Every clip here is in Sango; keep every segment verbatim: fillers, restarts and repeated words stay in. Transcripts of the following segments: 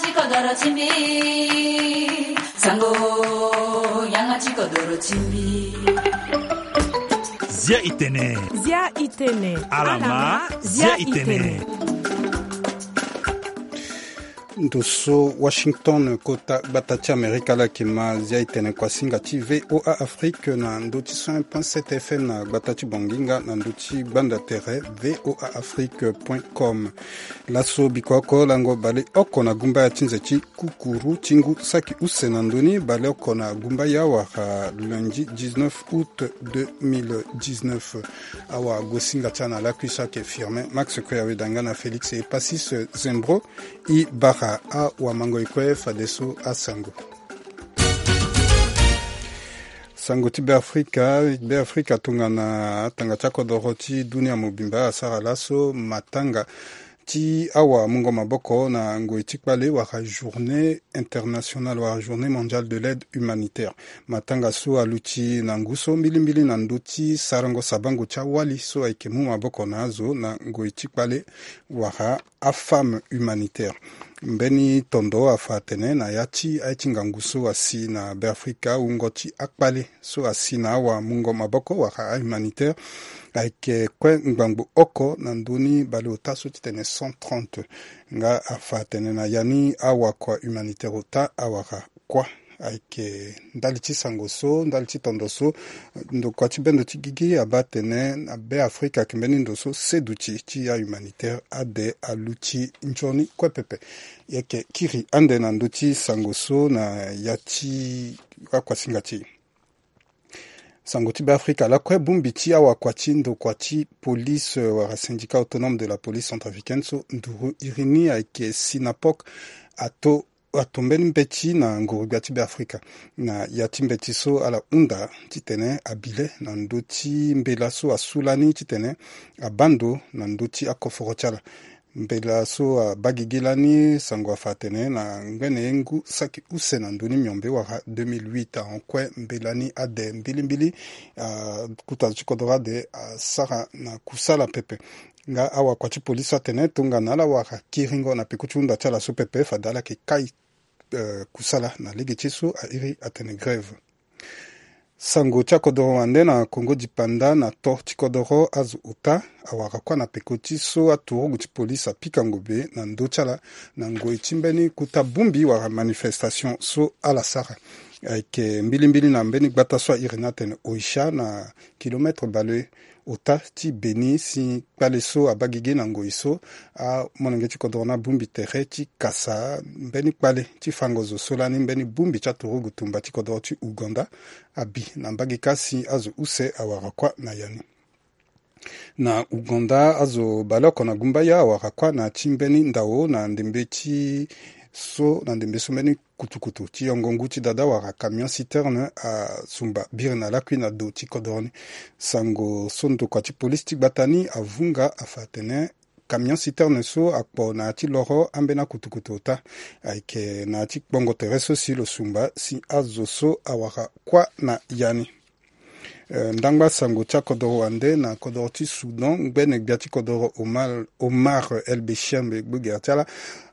Ti kodoro ti mbi. Sango, yanga ti kodoro ti mbi. Zia itene. Zia itene. Alama, zia itene. Ndo so Washington, kota gbata ti Amerika, ala yeke ma zia itene kuasinga ti V O A Afrique na ndo ti cent un point sept F M na gbata ti Bonginga na ndo ti gbanda tere V O A Afrique point com. Laso biko oko lango bale oko na gumbaya ti nze ti kukuru ti ngu saki use na ndoni, bale oko na gumbaya wala lundi dix-neuf août deux mille dix-neuf. Awagosinga ti ala na lakui so ayeke Firmin Max Kue, aweda nga na Félix Epasis Zembro. E bara awamango e kue fadeso asango. Sango ti Beafrika. Beafrika tongana atanga ti akodoro ti dunia mobimba asara laso matanga ti awamungo maboko na ngoi ti kpale wala Journée internationale wala Journée mondiale de l'aide humanitaire. Matanga so aluti na ngu so mbilimbili na ndö ti sarango sabango ti awali so ayeke mu maboko na azo na ngoi ti kpale wala afemme humanitaire. Mbeni tondo afa atene na ya ti aye ti ngangu so asi na Beafrika, wungo ti akpale so asi na awamungo maboko wala ahumanitaire ayeke kue ngbangbo oko na ndö ni baleota so ti tene cent trente. Nga afa atene na ya ni awakua humanitaire ota awara kuâ. Ayeke ndali ti sango so, ndali ti tondo so, ndokua ti bendo ti gigi abaa atene na Beafrika ayeke mbeni ndo so seduti ti ahumanitaire ade aluti nzoni kue pepe. E yeke kiri ande na ndö ti sango so na ya ti akuasinga ti e. Sango ti Beafrika lakue, bongbi ti awakua ti ndokua ti police, euh, wala Syndicat Autonome de la Police Centrafricaine so nduru iri ni ayeke Synapoc ato, ato mbeni mbeti na nguru-gbia ti Beafrika. Na ya ti mbeti so ala hunda titene abi le na ndö ti mbela so asu lani titene abaa ndo na ndö ti akoforo ti ala. Mbela so abaa gigi lani, sango afa atene na ngbene ye ngu saki use na ndö ni miombe wala deux mille huit ahon kue mbela ni ade mbilimbili, ah, kota zo ti kodoro ade asara na kusala pepe. Nga awakua ti polisi so atene tongana ala wara kiringo na peko ti hunda ti ala so pepe, fade ala yeke kai, eh, kusala na lege ti e so a iri atene grève. Sango ti akodoro wande na Kongo dipanda, na to ti kodoro azo ota awara kuâ na peko ti so aturugu ti polisi apika ngobe na ndö ti ala na ngoi ti mbeni kota bongbi wala manifestation so ala sara. Ayeke mbilimbili na mbeni gbata so a iri ni atene Oicha na kilomètre baleota ti Beni si kpale so abaa gigi na ngoi so amolenge ti kodoro ni abongbi tere ti kasa mbeni kpale ti fango zo so lani mbeni bongbi ti aturugu tumba ti kodoro ti Ouganda abi na mbage kâ si azo use awara kuâ na ya ni. Na Ouganda, azo baleoko na gumbaya awara kuâ na ya ti mbeni ndao na ndembe ti so, na ndembe so mbeni kutukutu ti yongo ngu ti dada wala camion citerne asumba biri na lakui na do ti kodoro ni. Sango so ndokua ti polisi ti gbata ni avunga afa atene camion citerne so akpo na ya ti loro ambeni akutukutu ota. Ayeke na ya ti kpongo tere so si lo sumba si azo so awara kuâ na ya ni. Eh, ndangba sango ti akodoro wande na kodoro ti Soudan, ngbene gbia ti kodoro Omar, Omar El Béchir, mbe gbogere ti ala,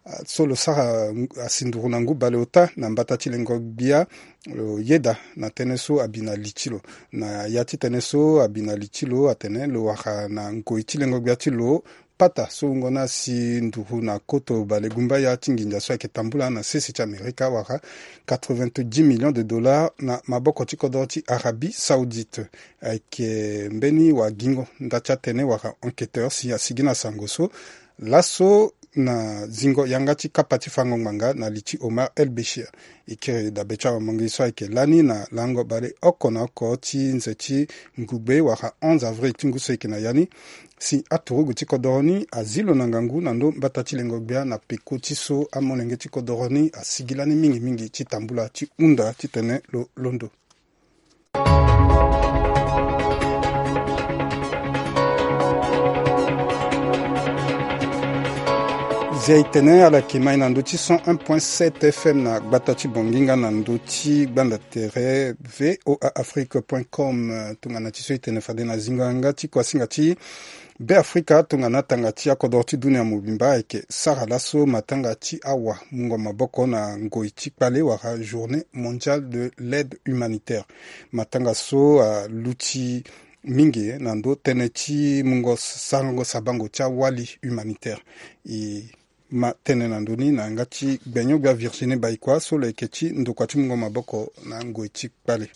ah, so lo sara, ah, asi nduru na ngu baleota na mbata ti lengo gbia, lo yeda na tënë so abi na li ti lo. Na ya ti tënë so abi na li ti lo atene lo wara na ngoi ti lengo gbia ti lo, pata so wungo ni asi nduru na koto bale gumbaya ti nginza so ayeke tambula na sese ti Amerika wala quatre-vingt-dix millions de dollars na maboko ti kodoro ti Arabie Saoudite. Ayeke mbeni wagingo nda ti atene wala enquêteur si asigi na sango so laso na zingo yanga ti kapa ti fango ngbanga na li ti Omar El Béchir. E kiri dabe ti awamango so ayeke lani na lango baleoko na oko ti nze ti ngugbe wala onze avril ti ngu so eke na ya ni, si aturugu ti kodoro ni azi lo na ngangu na ndo mbata ti lengo gbia na peko ti so amolenge ti kodoro ni asigi lani mingi mingi ti tambula ti hunda titene lo londo. Zia e tene ala yeke mai na ndö ti cent un point sept F M na gbata ti Bonginga na ndö ti gbanda tere V O A Afrique point com. Tongana ti so e tene fade na zingo yanga ti kuasinga ti Beafrika tongana tanga ti akodro ti dunia mobimba ayeke sara laso matanga ti awa mungo maboko na ngoi ti kpale wala journée mondiale de l'aide humanitaire. Matanga so aluti mingi na ndo tënë ti mungo sarango sabango ti awali humanitaire. E ma tënë na ndo ni na yanga ti gbenyo-gbia Virginie Baïkoi so lo yeke ti ndokua ti mungo maboko na ngoi ti kpale.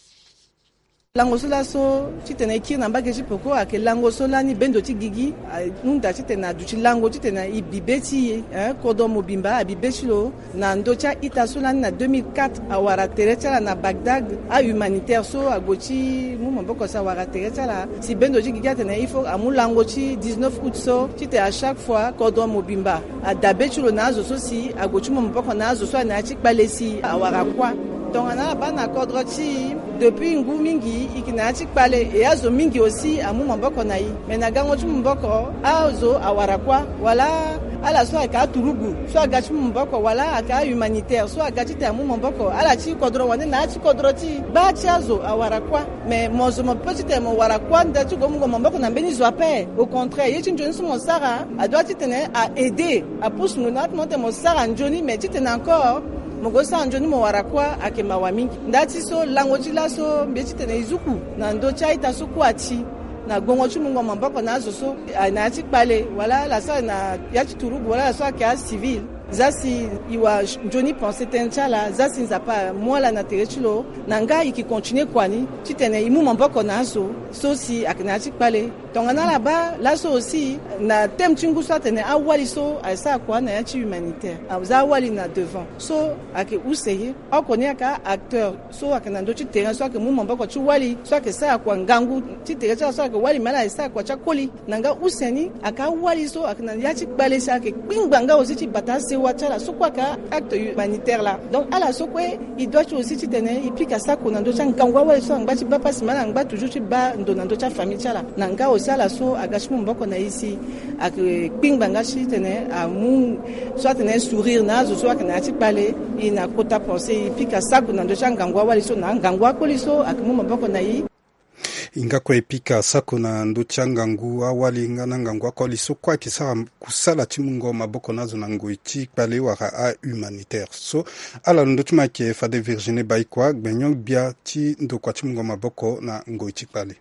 Lango so laso titene e kiri na mbage ti peko ayeke lango so lani bendo ti gigi ahunda titene aduti lango titene e bi be ti e, eh, kodro mobimba abi be ti lo. Na ndö ti a-ita so lani na deux mille quatre awara tere ti ala na Bagdad, ahumanitaire so ague ti mu maboko si awara tere ti ala si bendo ti gigi atene il faut amu lango ti dix-neuf août so titene à chaque fois kodro mobimba adabe ti lo na azo so si ague ti mu maboko na azo so aye na ya ti kpale si awara kuâ. Tongana ala baa na kodro ti e depuis ngu mingi e yeke na ya ti kpale, e azo mingi aussi amu maboko na e. Mais na gango ti mu maboko azo awara kuâ, wala ala so ayeke aturugu so aga ti mu maboko, wala ayeke ahumanitaire so aga titene amu maboko, ala ti kodro wande na ya ti kodro ti e baa ti azo awara kuâ. Mais mo zo mo peut titene mo wara kuâ nda ti gue mu gue maboko na mbeni zo ape. Au contraire, ye ti nzoni so mo sara adoit titene a aider, apusu mo na ati mo tene mo sara nzoni, mais titene encore mo gue sara nzoni mo wara kuâ ayeke mawa mingi. Nda ti so lango ti laso mbi ye titene e zuku na ndö ti a-ita so kue ati na gongo ti mungo maboko na azo so aye na ya ti kpale, wala ala so aye na ya ti turugu, wala ala so ayeke acivil. Za si e wara nzoni pensé tënë ti ala, za si Nzapa amu ala na tere ti lo, na nga e yeke continuer kua ni titene e mu maboko na azo so si ayeke na ya ti kpale. Tongana ala baa laso aussi na thème ti ngu so atene awali so aye sara kua na ya ti humanitaire, aza awali na devant so ayeke use ye. Oko ni ayeke acteur so ayeke na ndö ti terrain so ayeke mu maboko ti wali so ayeke sara kua ngangu ti tere ti ala so ayeke wali, me ala ye sara kua ti akoli. Na nga use ni ayeke awali so ayeke na ya ti kpale si ayeke kpingba nga aussi ti bata asewa ti ala so kue ayeke acte humanitaire laa. Donc ala so kue e doit ti aussi titene e pika sako na ndö ti angangu awali so angba ti baa pasi, me ala ngba toujours ti baa ndo na ndö ti afamille ti ala. Na nga aussi ala so aga ti mu maboko na e si ayeke kpingba nga titene amu so atene sourire na azo so ayeke na ya ti kpale. E na kota pensé e pika sako na ndö ti angangu awali so na angangu akoli so ayeke mu maboko na e. E nga kue e pika sako na ndö ti angangu awali nga na angangu akoli so kue ayeke sara kusala ti mungo maboko na azo na ngoi ti kpale wala ahumanitaire so. Ala lo ndö ti mo ayeke fade Virginie Baïkoi, gbenyo-gbia ti ndokua ti mungo maboko na ngoi ti kpale.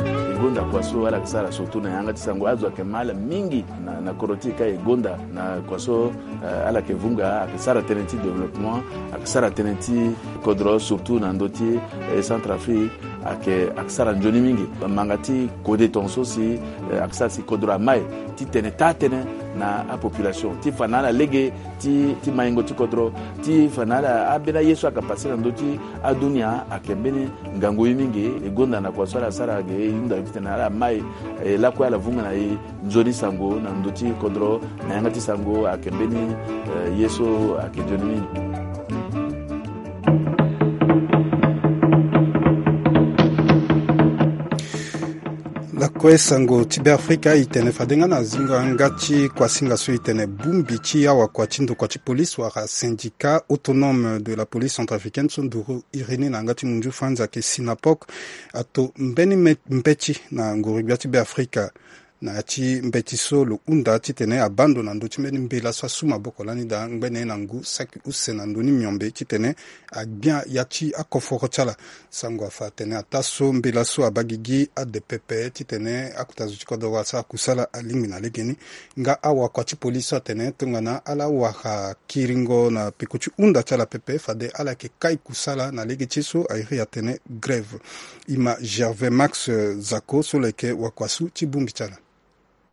E gonda kua so ala yeke sara surtout na yanga ti sango, azo ayeke ma ala mingi na, na kodro ti e ka e gonda na kua so, eh, ala yeke vunga, ayeke sara tënë ti développement, ayeke sara tënë ti kodro surtout na ndö ti, eh, Centrafrique, ayeke, ayeke sara nzoni mingi. Manga ti kode tongaso si, eh, ayeke sara si kodro amai ti tene taa tënë na apopulation ti fa na ala lege ti, ti maingo ti kodro, ti fa na ala ambeni aye so ayeke pase na ndö ti adunia ayeke mbeni ngangu ye mingi. E gonda na kua so ala sara ge, e hunda titene ala mai, e lakue ala vunga na e nzoni sango na ndö ti kodro na yanga ti sango ayeke mbeni, eh, ye so ayeke nzoni mingi. Lakue sango ti Beafrika e tene fade nga na zingo yanga ti kuasinga so e tene bongbi ti awakua ti ndokua ti police wala syndicat autonome de la police centrafricaine so nduru iri ni na yanga ti munzu Franz ayeke Synapoc ato mbeni me-, mbeti na nguru-gbia ti Beafrika. Na ya ti mbeti so lo hunda titene abaa ndo na ndö ti mbeni mbela so asu maboko lani daa ngbene na ngu saki use na ndö ni miombe titene agbia ya ti akoforo ti ala. Sango afa atene ataa so mbela so abaa gigi ade pepe titene akota zo ti kodro wara sara kusala alingbi na legeni. Nga awakua ti polisi so atene tongana ala wara kiringo na peko ti hunda ti ala pepe fade ala yeke kai kusala na lege ti ye so a iri atene grève. E ma Gervais Max, eh, Zako so lo yeke wakua so ti bongbi ti ala.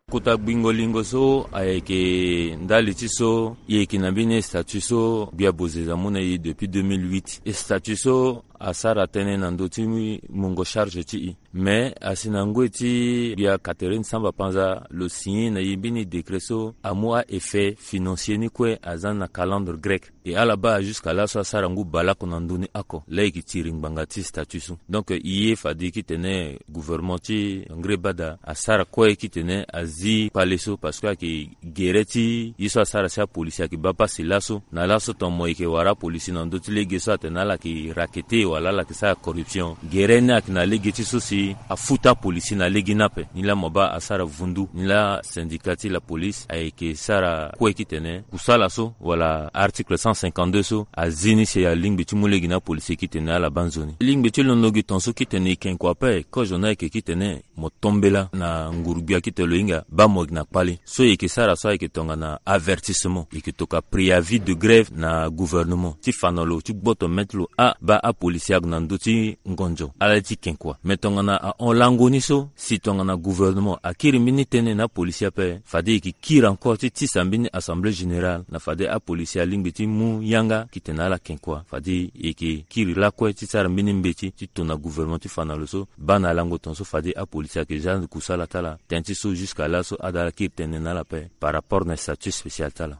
Kota gbingo lingo so ayeke ndali ti so e yeke na mbeni statut so gbia bozeza amu na e depuis deux mille huit. E statut so asara tënë na ndö ti mungo charge ti e. Mais asi na ngoi ti gbia Catherine Samba Panza lo signé na e mbeni décret so amu a-effet financier ni kue aza na calendre grec. E ala baa jusqu'à laso asara ngu baleoko na ndö ni oko. Laa e yeke tiri ngbanga ti statut so. Donc e ye fade titene gouvernement ti Ngreba daa asara kue titene azi kpale so parce que ayeke gere ti ye so asara si apolisi ayeke baa pasi laso. Na laso ton mo yeke wara apolisi na ndö ti lege so atene ala yeke rakete. Wala ala yeke sara corruption. Gere ni ayeke na lege ti so si afuta apolisi na lege ni ape. Ni laa mo baa asara vundu. Ni laa syndicat ti la police ayeke sara kue titene kusala so wala article cent cinquante-deux so azi ni si alingbi ti mu lege na apolisi kite na ala baa nzoni. Lingbi ti londo gi ton so kite na e ken kua ape, kozo ni ayeke kite na e mo tombela na nguru-gbia kite lo hinga baa mo yeke na kpale. So e yeke sara so ayeke tongana avertissement, e yeke toka préavis de grève na gouvernement ti fa na lo ti gboto mete lo a baa apolisi ague na ndö ti ngonzo ala ti ken kua. Me tongana ahon lango ni so si tongana gouvernement akiri mbeni tënë na apolisi ape, fade e yeke kiri encore ti tisa mbeni assemblée générale na fade apolisi alingbi ti mu yanga kite na ala ken kua. Fade e yeke kiri lakue ti sara mbeni mbeti ti tona gouvernement ti fa na lo so baa na lango ton so fade apolisi ayeke za kusala ti ala. Tënë ti so jusqu'à là so ada ala kiri tënë na ala ape par rapport na statut spécial ti ala.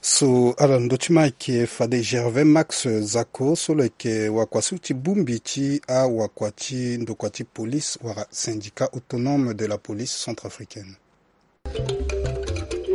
So ala ndö ti ma ayeke fade Gervais Max Zako so lo yeke wakua so ti bongbi ti awakua ti ndokua ti police wala syndicat autonome de la police centrafricaine.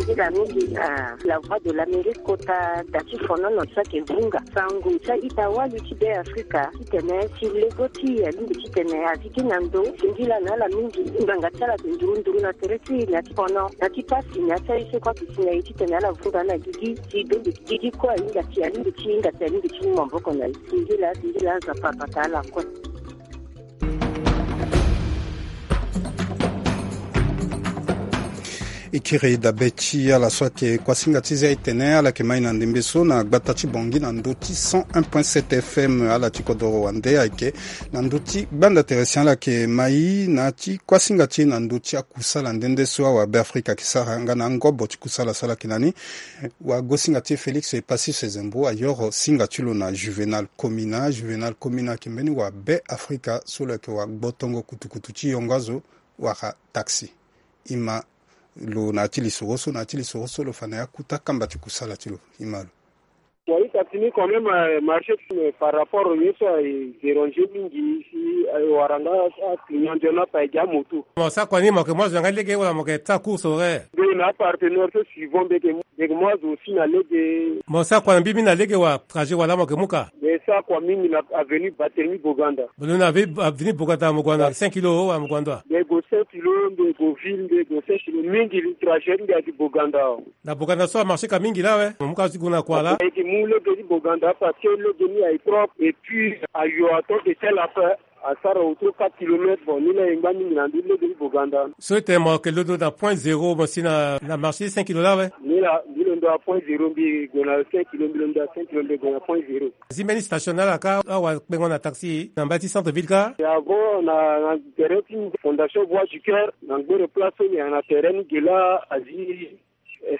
Nzila mingi na La Voix de l'Amérique kota da ti fonono so ayeke vunga sango ti a-ita wali ti Be Afrika titene si lego ti e alingbi titene azi gi na ndo. Singila na ala mingi ngbanga ti ala ayeke nduru nduru na tere ti e na ya ti fono na ti pasi na ya ti aye so kue ayeke si na e titene ala vunga na gigi si dongi gigi kue ahinga si alingbi ti hinga si alingbi ti mu maboko na e. Singila singila Nzapa abata ala kue. E kiri dabe ti ala so ayeke kuasinga ti za e tene ala yeke mai na ndembe so na gbata ti Bangui na ndö ti cent un point sept F M. Ala ti kodoro wande ayeke na ndö ti gbanda tere si ala yeke mai na ti kuasinga ti e na ndö ti akusala nde nde so awabe Afrika ayeke sara nga na angobo ti kusala so ala yeke na ni. Wagosinga ti e Félix Passy Sezembo ayoro singa ti lo na Juvenal Komina. Juvenal Komina ayeke mbeni wabe Afrika so lo yeke wagbotongo kutukutu ti yongo azo wala taxi. E ma lo na ya ti lisoro so, na ya ti lisoro so lo fa na ya kuta kamba ti kusala ti lo. E ma lo. Wa ita ti ni quand même, eh, marché, eh, par rapport au ye so, eh, déranger mingi si, eh, wara nga, ah, client ndio na pa ege amoto. Mo sara kua ni mo yeke mu azo na nga lege wala mo yeke sara course horaire? Mbi na apartenaire so suivant mbi yeke mu, mbi yeke mu azo aussi na lege. Mo sara kua na mbi mbi na lege wa trajet wala mo yeke mu ka? Mbi sara kua mingi na avenue Barthélemy Boganda. Lo na avenue, avenue Boganda mo gue na cinq kilo wala mo gue na ndo? Mbi gue cinq kilo, mbi gue ville, mbi gue cinq kilo mingi, trajet mbi ayeke Boganda. Na Boganda so amarché ka mingi laa awe. Mo mu ka ti gue na kua laa. E yeke mu lege ti Boganda parce que lege ni aye propre et puis ayo ato eke tel ape. Asara autour quatre kilomètres. Bon, ni laa e ngba mingi na ndö ti lege ti Boganda. So e tene mo yeke londo na point zéro mo si na, na marché cinq kilo laa awe. Ni laa mbi londo na point zéro, mbi gue na cinq kilo, mbi londo na cinq kilo, mbi gue na point zéro. Azi mbeni station na ala kâ awakpengo na taxi na mbage ti centre ville kâ? E avant na, na terrain ti Fondation Voix du Cœur, na ngbere place so ni na terrain ni ge laa azi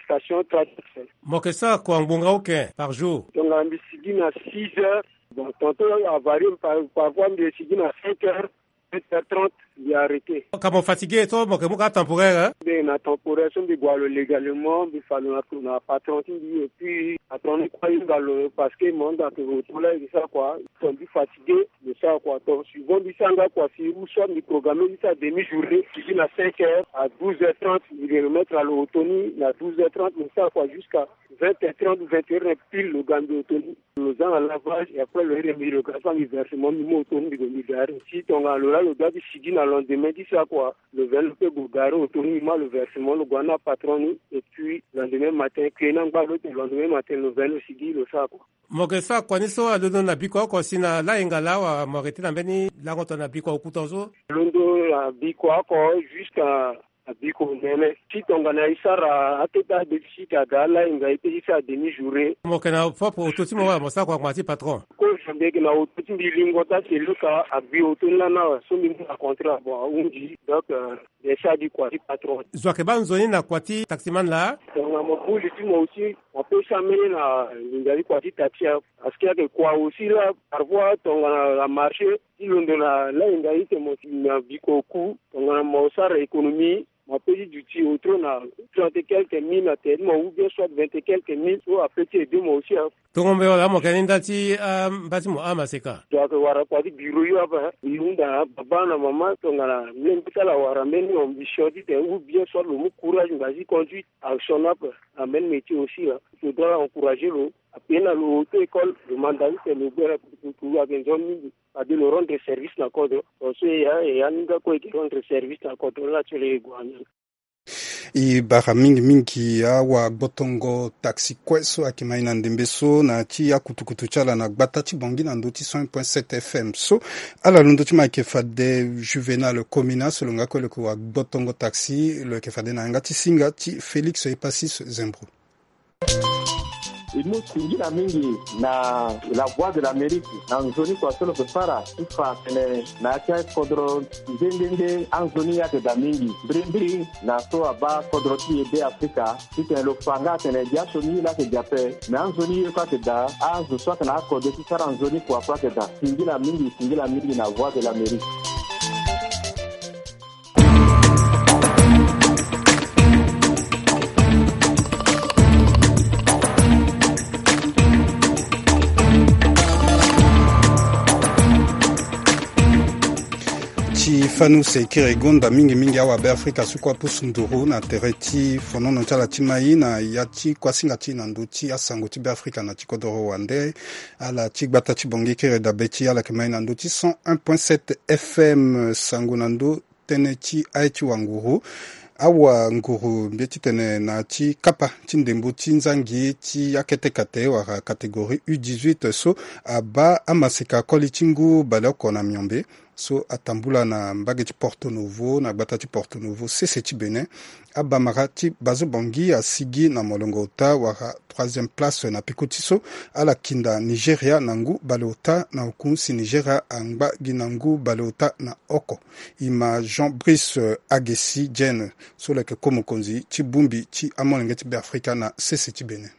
station traverse. Mo yeke sara kua ngbonga oke par jour? Tongana mbi sigi na six heures. Bon, tantôt avarie par, parfois mbi sigi na cinq heures, sept heures trente, mbi arrêté. Ka mo fatigué so mo yeke mu ka temporaire, hein? Mbi na temporaire so mbi gue na lo légalement, mbi fa lo na, na patron ti mbi, et puis patron ni kue ahinga lo parce que mo hinga ke lo to laa e sara kua. Tongana mbi fatigué, mbi sara kua. Donc suivant mbi sara nga kua si ou soit mbi programme mbi sara demi journée, mbi sigi na cinq heures à douze heures trente, mbi remettre na lo oto ni na douze heures trente, mbi sara kua jusqu'à vingt heures trente, vingt heures pile, lo ga mbi oto ni. Lo za na lavage et après lo iri mbi, lo ga fa mbi versement, mbi mu oto ni, mbi gue mbi gare. Si tongana lo laa lo doit ti sigi na lendemain ti sara kua, lo veni lo peut gue gare oto ni, mbi ma lo versement, lo gue na patron ni, et puis lendemain matin, kue na ngba lo te, lendemain matin lo veni lo sigi lo sara kua. Mo yeke sara kua ni so alondo na bikua oko si na layenga laa wala mo yeke tene na mbeni lango tongana bikua oku tongaso? Londo na bikua oko jusqu'à na bikua onene. Si tongana e sara akete abe ti sika aga alayenga e peut ti sara demi journée. Mo yeke na propre oto ti mo wala mo sara kua ngbanga ti patron? Kozo mbi yeke na oto ti mbi, lingo ti atelier ka agbi oto ni lani awe so mbi mu na contrat, bon, ahunzi. Donc, euh, Bien sûr, adi kua ti patron. Zo ayeke baa nzoni na kua ti taximan laa? Tongana mo bu li ti mo aussi, mo peut sara mbeni na nginza ti kua ti taxi. Parce que ayeke kua aussi laa, parfois tongana na marché ti londo na layenga ite mo si na bikua oku, tongana mo sara économie, mo peut ti duti autour na trente et quelques mille na tere ti mo ou bien soit vingt et quelques mille, so apeut ti aider mo aussi, hein. Tongo mbe wala amo kani nda ti, ah, mba ti mo ama seka. Donc wara kua ti biro yo apa. Yo nda baba na mama tongana mbi ti ala wara mbeni ambition ti tene ou bien soit lo mu courage mba ti conduite action apa. Na mbeni métier aussi la. Lo doit encourager lo. Ape na lo auto école lo manda ti tene lo gbere kutukutu ayeke nzoni mingi. Fade lo rendre service na kodro. Parce que ya ya ni nga kue eke rendre service na kodro la ti lo ye gua ni. E bara mingi mingi awa gbotongo taxi kue so ayeke ma e na ndembe so na ti akutukutu ti ala na gbata ti Bangui na ndö ti cent un point sept F M so. Ala londo ti ma ayeke fade Juvenal Komina so lo nga kue lo yeke wa gbotongo taxi lo yeke fade na yanga ti singa ti Félix Epasis Zembro. E mu singila mingi na La Voix de l'Amérique na nzoni kua so lo yeke sara ti fa atene na ya ti akodro nde nde nde anzoni ye ayeke daa mingi mbirimbiri na so abaa kodro ti e Be Afrika titene lo fa nga atene dia sioni ye laa ayeke daa ape. Me anzoni ye kue ayeke daa, azo so ayeke na akode ti sara nzoni kua kue ayeke daa. Singila mingi, singila mingi na Voix de l'Amérique. Ti fani use kiri gonda mingi mingi awa Be Afrika so kue apusu nduru na tere ti fonono ti ala ti mai na ya ti kuasinga ti na ndö ti asango ti Be Afrika na ti kodoro wande. Ala ti gbata ti Bangui kiri dabe ti ala yeke mai na ndö ti cent un point sept F M. Sango na ndö tënë ti aye ti wanguru. Awanguru mbi ye titene na ya ti kapa ti ndembo ti nzangi ti akete kate wala catégorie U dix-huit so abaa amaseka koli ti ngu baleoko na miombe so atambula na mbage ti Porto Novo na gbata ti Porto Novo sese ti Bénin. Abamara ti Bazo Bangui asigi na molongo ota wala troisième place na peko ti so. Ala kinda Nigeria na ngu baleota na oku si Nigeria angba gi na ngu baleota na oko. E ma Jean Brice Agesi Diene so lo yeke ko mokonzi ti bongbi ti amolenge ti Be Afrika na sese ti Bénin.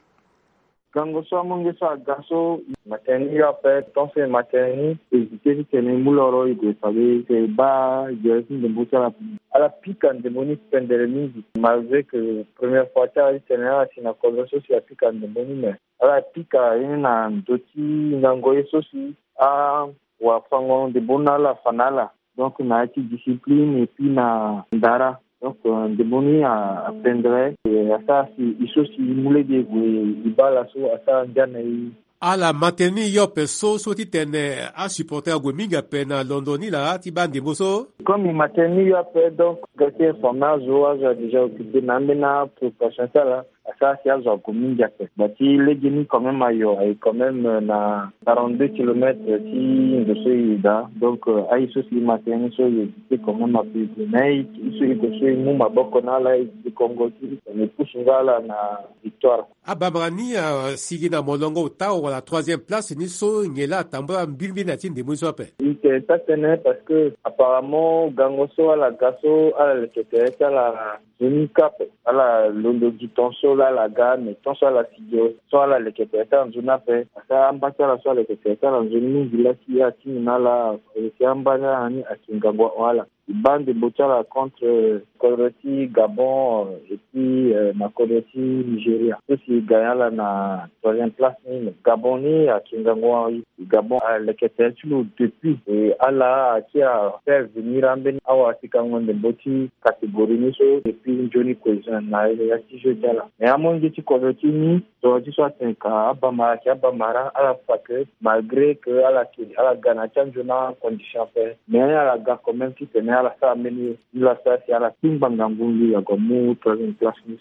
Gango so amolenge so aga so, matene ni yo ape, tonso e matene ni, hésiter titene e mu loro e gue fade e baa gere ti ndembo ti ala. Ala pika ndembo ni pendere mingi, malgré que première fois ti ala titene ala si na kodro so si apika ndembo ni, mais ala pika ye ni na ndö ti ngango ye so si awafango ndembo ni na ala afa na ala. Donc na ya ti discipline et puis na ndara. Donc euh, ndembo ni a, apendre, eh, asara si e so si e mu lege e gue e baa laso asara ndia na e. Ala matene ni yo ape so so titene asupporter ague mingi ape na londo ni laa ti baa ndembo so. Comme e matene ni yo ape, donc ga ti informer azo, azo a déjà occupé na ambeni apréparation ti ala. Asara si azo ague mingi ape. Gba ti legeni quand même ayo aye quand même euh, na quarante-deux kilomètres ti ndo so e daa. Donc euh, aye so si e matene ni so e éviter quand même ape e gue. Mais e so e gue so e mu maboko na ala e zi kongo ti e pusu nga ala na victoire. Abamara ni asigi na molongo ota wala troisième place ni so nyen laa atambula mbirimbiri na ya ti ndembo ni so ape? E tene taa tënë parce que apparemment gango so ala ga so ala leke tere ti ala nzoni kue ape. Ala londo gi tonso laa ala ga, mais tonso ala sigi so ala leke tere ti ala nzoni ape. Asara amba ti ala so aleke tere ti ala nzoni mingi laa si atingi na ala, si amba ni ayeke ngangu ahon ala. E baa ndembo ti ala contre kodro ti Gabon, euh, et puis euh, na kodro ti Nigeria so si e gagné ala na troisième place ni. Gabon ni ayeke ngangu ahon. Gabon aleke tere ti lo depuis, e ala ayeke afaire venir ambeni awasekango ndembo ti catégorie ni so depuis nzoni kue na ya ti jeu ti ala. Mais amolenge ti kodro ti ni, tongana ti so atene ka abamara ayeke abamara, ala fa que malgré que ala yeke ala ga na ya ti anzoni acondition ape, mais ala ga quand même titene ala sara mbeni ni laa asara si ala tingba ngangu ngu ague amu troisième place ni.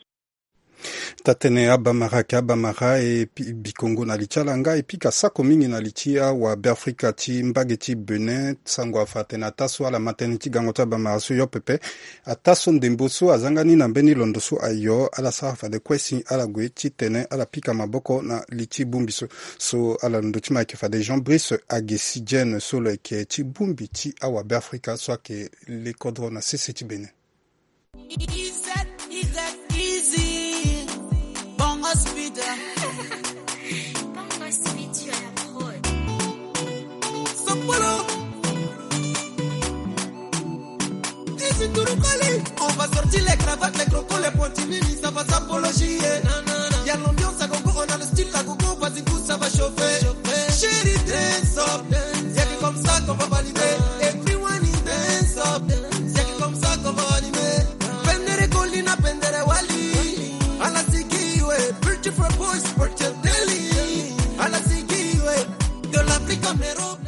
Taa tënë abamara ayeke abamara e pi, bikongo na li ti ala nga e pika sako mingi na li ti awabeafrika ti mbage ti Bénin. Sango afa atene ataa so ala ma tënë ti gango ti abamara so yo pepe. Ataa so ndembo so azanga ni na mbeni londo so ayo, ala sara fade kue si ala gue titene ala pika maboko na li ti bongbi so. So ala londo ti ma ayeke fade Jean Brice Agesi Diene so lo yeke ti bongbi ti awabeafrika so ayeke le kodro na sese ti Bénin. E Z, E Z, easy. Bongo speed. Bongo speed, tu as la prod. Sopolo. Easy to the calling. On va sortir les cravates, les crocos, les pointilles, ça va s'apologier. Il y a l'ambiance à gogo, on a le style à gogo, vas-y, pousse. Ça va chauffer, chauffer. Chérie, dance up, dance. Y a que comme ça qu'on va valider. Everyone in dance up, dance. Y a que comme ça qu'on va animer. Pendere Colina, pendere Wali. Ala sikiwe, pretty for boys, pretty daily. Ala sikiwe, de l'Afrique en Europe.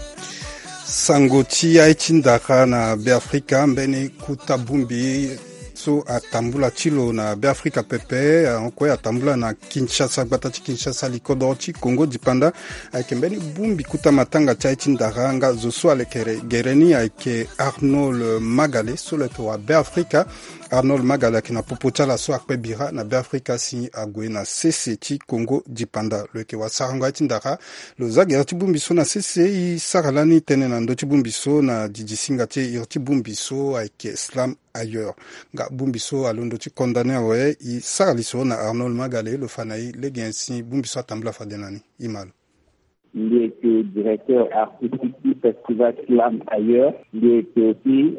Sango ti aye ti ndara na Beafrika, mbeni kuta bongbi so atambula ti lo na Beafrika pepe, ahon kue atambula na Kinshasa, gbata ti Kinshasa, likodoro ti Kongo dipanda. Ayeke mbeni bongbi kuta matanga ti aye ti ndara, nga zo so alekere gere ni ayeke Arnold Magale, so lo yeke wa Beafrika. Arnold Magale ayeke na popo ti ala so akpe bira na Beafrika si ague na sese ti Kongo dipanda. Lo yeke wa sarango aye ti ndara. Lo za gere ti bongbi so na sese, e sara lani tënë na ndö ti bongbi so na didi singa ti e. Iri ti bongbi so ayeke Slam Ailleurs. Nga bongbi so alondo ti condamné awe, e sara lisoro na Arnold Magale, lo fa na e lege nyen si bongbi so atambula fade na ni. E ma lo. Mbi yeke directeur artistique ti festival Slam Ailleurs. Mbi yeke aussi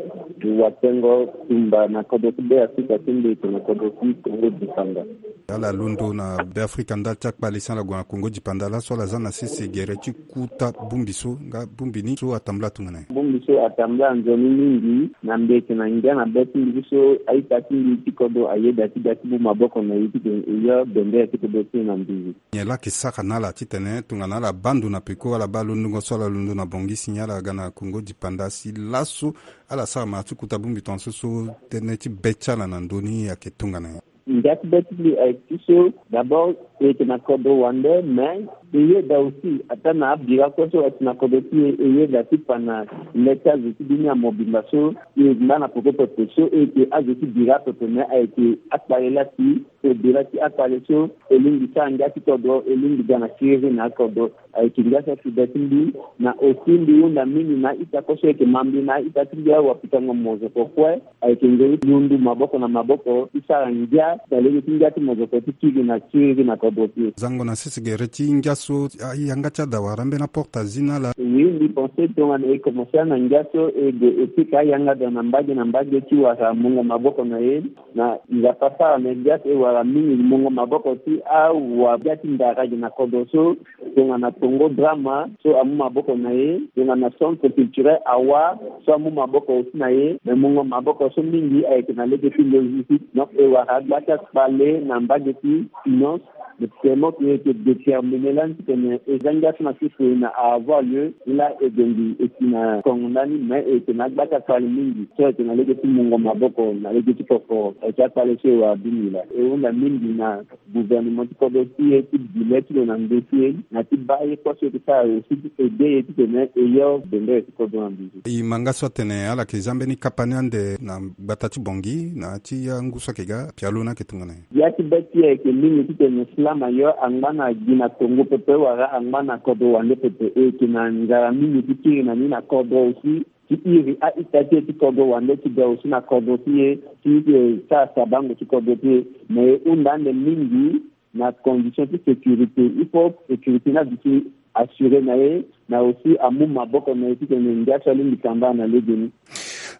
watengo tumba na kodro ti Beafrika ti mbi yeke na kodro ti Kongo dipanda. Ala londo na Beafrika ndali ti akpale si ala gue na Kongo dipanda, laso ala za na sese gere ti kuta bongbi so, nga bongbi ni so atambula tongana nyen? Bongbi so atambula nzoni mingi, na mbi yeke na ngia na be ti mbi so a-ita ti mbi ti kodro ayeda ti ga ti mu maboko na e titene e yo bendere ti kodro ti e na nduzu. Nyen laa ayeke sara na ala titene tongana ala baa ndo na peko, ala baa londongo so ala londo na Bangui si nyen ala ga na Kongo dipanda si laso ala sara mara ti kuta bongbi tongaso so tënë ti be ti ala na ndö ni ayeke tongana nyen? Ngia ti be ti mbi ayeke ti so, d'abord e yeke na kodro wande, mais e yeda aussi ataa na abira kue so ayeke na kodro ti e, e yeda ti fa na le ti azo ti dunia mobimba so e yeke ngba na peko pepe so e yeke azo ti bira pepe, mais ayeke akpale laa si au-delà ti akpale so e lingbi sara ngia ti kodro, e lingbi ga na siriri na akodro. Ayeke ngia so si be ti mbi, na aussi mbi hunda mingi na a-ita kue so e yeke ma mbi na a-ita ti mbi awapikango mozoko kue. Ayeke ngoi ti lundu maboko na maboko ti sara ngia na lege ti ngia ti mozoko ti kiri na siriri na kodro ti e. Zango na sese gere ti ngia so, a, yanga ti ada wala ambeni aporte azi na ala? Oui, mbi pense tongana e commencer na ngia so e gue e pika ayanga daa na mbage na mbage ti wara mungo maboko na e. Na Nzapa sara na e ngia so e wara mingi mungo maboko ti awa ngia ti ndara gi na kodro so, tongana Congo Drama so amu maboko na e, tongana Centre Culturel Awa so amu maboko aussi na e, me mungo maboko so mingi ayeke na lege ti logistique. Donc e wara agba ti akpale na mbage ti finance. Mais tellement que e yeke déterminer lani titene e za ngia so na sese na a avoir lieu, e laa e gue mbi e si na kongo ndani, mais e yeke na agba ti akpale mingi so e yeke na lege ti mungo maboko na lege ti kokoro. Ayeke akpale so e wara bini laa. E hunda mingi na gouvernement ti kodro ti e ti bi le ti lo na ndö ti e, na ti baa ye kue so e yeke sara aussi ti aider e titene e yo bendere ti kodro na nduzu. E ma nga so atene ala yeke za mbeni kapa ni ande na gbata ti Bangui na ya ti angu so ayeke ga, pialo ni ayeke tongana nyen? Ya ti be ti e ayeke mingi titene Slam Ailleurs angba na gi na Congo pepe wala angba na kodro wande pepe. E yeke na nzara mingi ti kiri na ni na kodro aussi. Ti iri a-ita ti e ti kodro wande ti ga aussi na kodro ti e, ti e sara sabango ti kodro ti e. Me e hunda ande mingi na condition ti sécurité. Il faut sécurité ni aduti assuré na e, na aussi amu maboko na e titene ngia so alingbi kamba na legeni.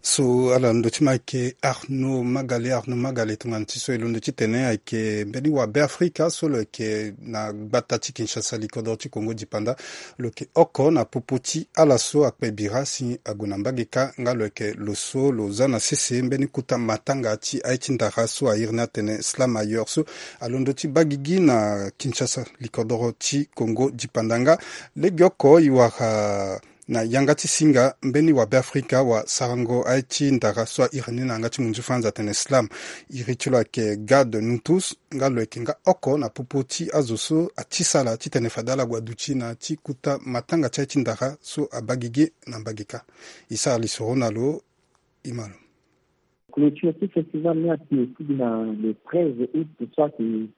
So ala londo ti ma ayeke Arnaud Magale. Arnaud Magale, tongana ti so e londo titene ayeke mbeni wa Beafrika so lo yeke na gbata ti Kinshasa, likodro ti Congo dipanda. Lo yeke oko na popo ti ala so akpe bira si ague na mbage kâ, nga lo yeke lo so lo za na sese mbeni kota matanga ti aye ti ndara so a iri ni atene Slam Ailleurs so alondo ti baa gigi na Kinshasa, likodoro ti Kongo dipanda. Nga legeoko e wara na yanga ti singa mbeni wa Beafrika wa sarango aye ti ndara so a iri ni na yanga ti munzu faranza atene Slam. Iri ti lo ayeke Gad Nutus, nga lo yeke nga oko na popo ti azo so ati sala titene fade ala gue aduti na ya ti kota matanga ti aye ti ndara so abaa gigi na mbage kâ. E sara lisoro na lo. E ma lo. Clôture ti festival ni ayeke fidi na le treize août so ayeke,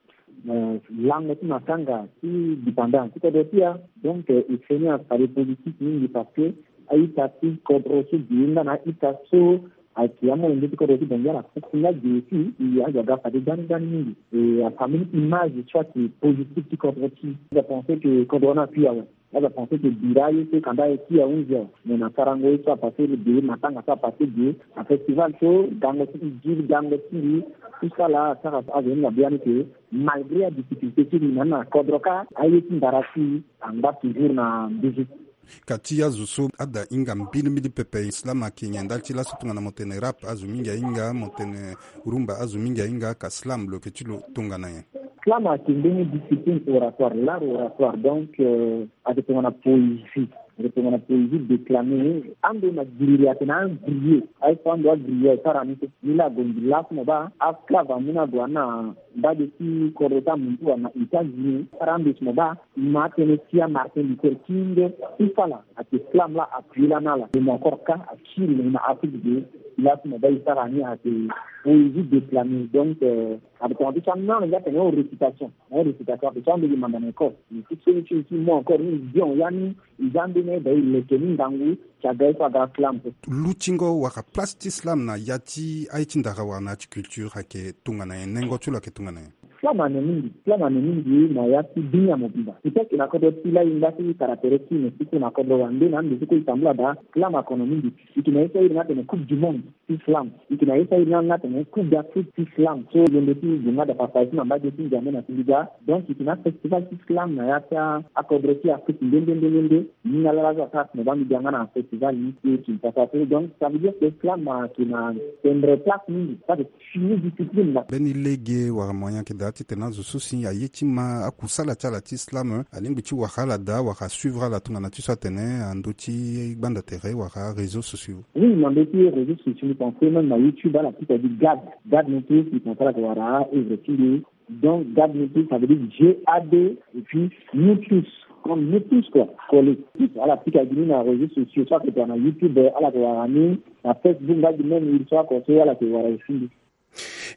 euh, lango ti matanga ti dipanda ti kodro ti e. Donc, euh, e feni afade positif mingi parce que a-ita ti kodro so gi nga na a-ita so Ayeke amolenge ti kodro ti Bangui ala fokisi nga ge aussi, e azo aga fade gbani gbani mingi. E afa mbeni image so ayeke positif ti kodro ti. Azo apense ke kodro ni akui awe. Azo apense ke bira aye so kanda aye ti ahunzi awe. Me na sarango ye so apase ge, matanga so apase ge, afestival so gango ti gi gango ti gi, tout ça là asara azo ni na biani ke malgré adifficulté ti gi na ni na kodro kâ, aye ti ndara ti angba toujours na mbizi. Ka ti azo so ada hinga mbilimbili pepe, slam ayeke nyen ndali ti laso tongana mo tene rap azo mingi ahinga, mo tene rumba azo mingi ahinga, ka slam lo yeke ti lo tongana nyen? Slam ayeke mbeni discipline oratoire, l'art oratoire, donc euh, ayeke tongana poésie. Ayeke tongana poésie déclamée. Ando na giri ayeke na agrillé. Aye so ando agrillé asara ni so. Ni laa ague mbi laso mo baa asclave amu ni ague na mbage ti kodro ti amuntu wala na États-Unis. Asara ando si mo baa ma atene ti aMartin Luther King, tout ça là, ayeke slam laa appuyer lani ala. Mo encore kâ akiri na Afrique de l'Ouest mo baa e sara ni ayeke poésie déclamée. Donc euh, ayeke tongana ti so anano nga atene récitation. Ayeke récitation ayeke so ando gi manda na école. Mais ti so ni ti mo encore ni bien ya ni. E za mbeni aye daa e leke ni ngangu. Ti aga ye so aga slam so. Lutingo wala place ti slam na ya ti aye ti ndara wala na ya ti culture ayeke tongana nyen? Nengo ti lo ayeke tongana nyen? Slam ane mingi, slam ane mingi na ya ti dunia mobimba. Peut-être na kodro ti la e ngba ti caractéristique ne ti kue na kodro wande na ande ti kue e tambula daa slam akono mingi. E yeke na ye so airi ni atene Coupe du Monde ti slam. E yeke na ye so airi ni atene Coupe d'Afrique ti slam. So londo ti gue nga daa partage ti na mbage ti Njambe na Singida. Donc e yeke na afestival ti slam na ya ti akodro ti Afrique nde nde nde nde nde. Ni na ala laso asara tene baa mbi ga nga na festival ni ti Kinshasa so. Donc ça veut dire que slam ayeke na tendre place mingi. Ça c'est fini discipline là. Mbeni lege wala moyen ayeke daa titene azo so si aye ti ma akusala ti ala ti slam alingbi ti wara ala daa wala asuivre ala tongana ti so atene na ndö ti gbanda tere wala réseaux sociaux? Oui, na ndö ti réseaux sociaux, mbi pense même na YouTube ala pika gi Gad. Gad Nutus, mbi pense ala yeke wara œuvre ti mbi. Donc Gad Nutus, ça veut dire G A D et puis Nutus, comme Nutus quoi, collé. Ala pika gi ni na réseaux sociaux, so ayeke tongana YouTube, ala yeke wara ni na Facebook, nga gi même il so oko so ala yeke wara aussi.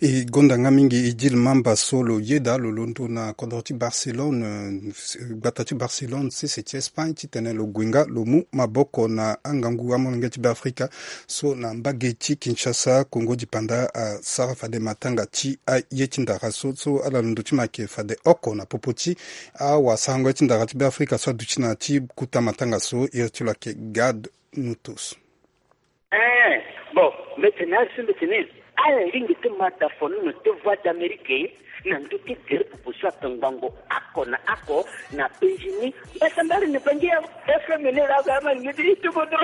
E gonda nga mingi Idil Mamba so lo yeda lo londo na kodro ti Barcelone, eh, gbata ti Barcelone, sese ti Espagne, titene lo gue nga lo mu maboko na angangu amolenge ti Beafrika so na mbage ti Kinshasa, Kongo dipanda, asara fade matanga ti aye ti ndara so, so ala londo ti ma ayeke fade oko na popo ti awasarango ye ti ndara ti Beafrika so aduti na ya ti kota matanga so, iri ti lo ayeke Gad Nutus. Eh, bon, mbi tene azo mbi tene ala lingbi ti ma da fono na te Voix d'Amérique na ndö ti gere popo so ape ngbongo oko na oko na penzi ni. Mbasambala na Bangui ya F M ni la ga ma ni ti tubo do.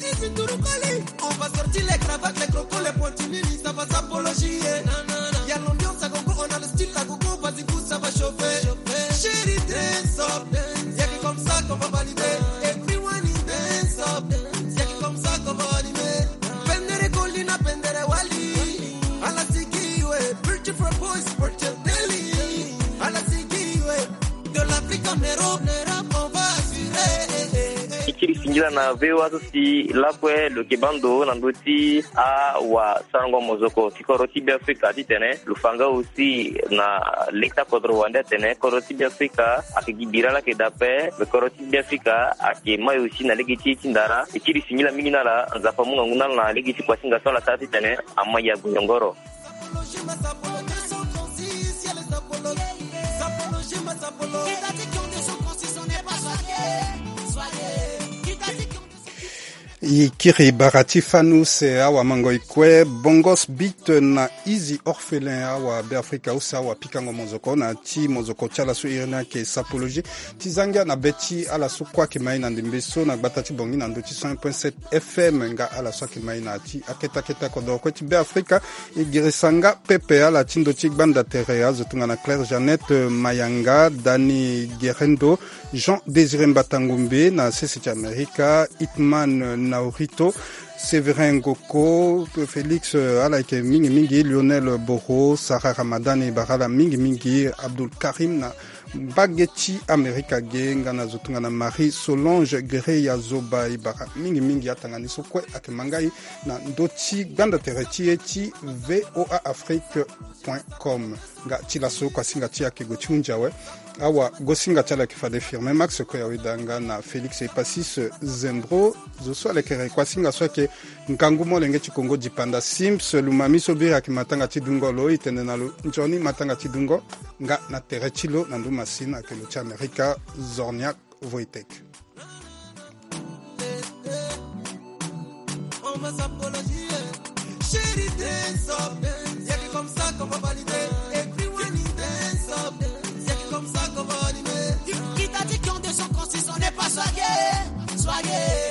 Easy to recall it. On va sortir les cravates, les crocos, les pointilles, ça va s'apologier. Na, na, na. Y a l'ambiance à gogo, on a le style à gogo, vas-y, vous, ça va chauffer. Chérie, dress up. Y a que comme ça qu'on va valider. Everyone in dance up. Y a que comme ça qu'on va animer. Pendere Colina, Pendere Wali. Ala sigi, ouais. Pretty for boys, pretty daily. Ala sigi, ouais. De l'Afrique en Europe, en Europe, on va assurer. E kiri singila na V O A so si lakue lo yeke baa ndo na ndö ti awasarango mozoko ti kodro ti Beafrika titene lo fa nga aussi na lege ti akodro wande atene kodro ti Beafrika ayeke gi bira laa ayeke daa ape, me kodro ti Beafrika ayeke mai aussi na lege ti ye ti ndara. E kiri singila mingi na ala, Nzapa amu ngangu na ala na lege ti kuasinga so ala sara titene amai ague nyongoro. E kiri bara ti fanu se awamangoi kue, Bongos Beat na Easy Orphelin, awabeafrika use awapikango mozoko na ya ti mozoko ti ala so iri ni ayeke Sapologie. Ti za ngia na be ti ala so kue ayeke ma e na ndembe so na gbata ti Bangui na ndö ti cent un point sept F M nga ala so ayeke ma e na ya ti akete akete kodoro kue ti Beafrika. E girisa nga pepe ala ti ndö ti gbanda tere azo tongana Claire Jeannette Mayanga, Dany Gerendo, Jean Désiré Mbata Ngombe na sese ti Amerika, Hitman Naurito, Séverin Ngoko, Félix, euh, ala yeke mingi mingi, Lionel Boro, Sarah Ramadan, e bara ala mingi mingi, Abdoul Karim na mbage ti Amerika ge, nga na zo tongana Marie Solange Guerreya Zoba, e bara mingi mingi atanga ni so kue ayeke ma ngai na ndö ti gbanda tere ti e ti V O A Afrique point com. Nga ti laso kuasinga ti e ayeke gue ti hunzi awe. Awa, gosinga ti ala ayeke fade Firmin Max Koya Wedanga na Félix Epasis Zembro. Zo so alekere kuasinga so ayeke ngangu molenge ti Kongo Dipanda Sims Lumami so biri ayeke matanga ti dungo lo. E tene na lo nzoni matanga ti dungo. Nga na tere ti lo na ndö masini ayeke lo ti Amerika, Zorniak Wojtek. On va s'apologier. Chérie, dance up. Y'a que comme ça qu'on va valider. Everyone is dance up. Y'a que comme ça qu'on va animer. Qui t'a dit qu'on descend quand si on n'est pas soigné? Soigné.